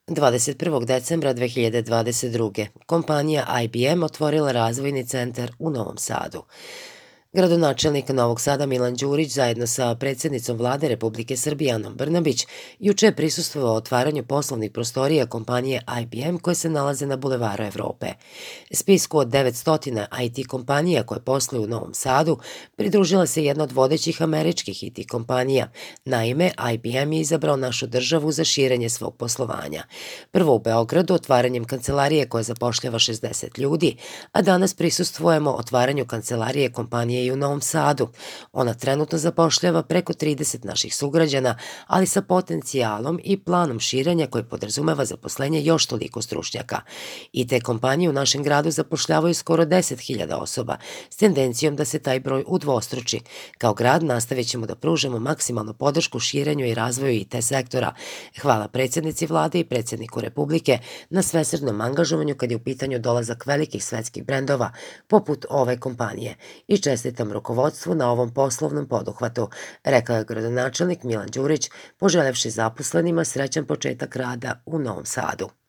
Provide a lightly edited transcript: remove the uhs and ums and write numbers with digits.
21. decembra 2022. kompanija IBM otvorila razvojni centar u Novom Sadu. Gradonačelnik Novog Sada Milan Đurić zajedno sa predsjednicom Vlade Republike Srbije Anom Brnabić juče je prisustvovao otvaranju poslovnih prostorija kompanije IBM koje se nalaze na Bulevaru Evrope. Spisku od 900 IT kompanija koje posluju u Novom Sadu pridružila se jedna od vodećih američkih IT kompanija. Naime, IBM je izabrao našu državu za širenje svog poslovanja. Prvo u Beogradu otvaranjem kancelarije koja zapošljava 60 ljudi, a danas prisustvujemo otvaranju kancelarije kompanije i u Novom Sadu. Ona trenutno zapošljava preko 30 naših sugrađana, ali sa potencijalom i planom širenja koji podrazumeva zaposlenje još toliko stručnjaka. I te kompanije u našem gradu zapošljavaju skoro 10.000 osoba, s tendencijom da se taj broj udvostruči. Kao grad nastavit ćemo da pružamo maksimalnu podršku širenju i razvoju IT sektora. Hvala predsjednici vlade i predsjedniku Republike na svesrdnom angažovanju kad je u pitanju dolazak velikih svetskih brendova poput ove kompanije i čestitam rukovodstvu na ovom poslovnom poduhvatu, rekao je gradonačelnik Milan Đurić, poželevši zaposlenima srećan početak rada u Novom Sadu.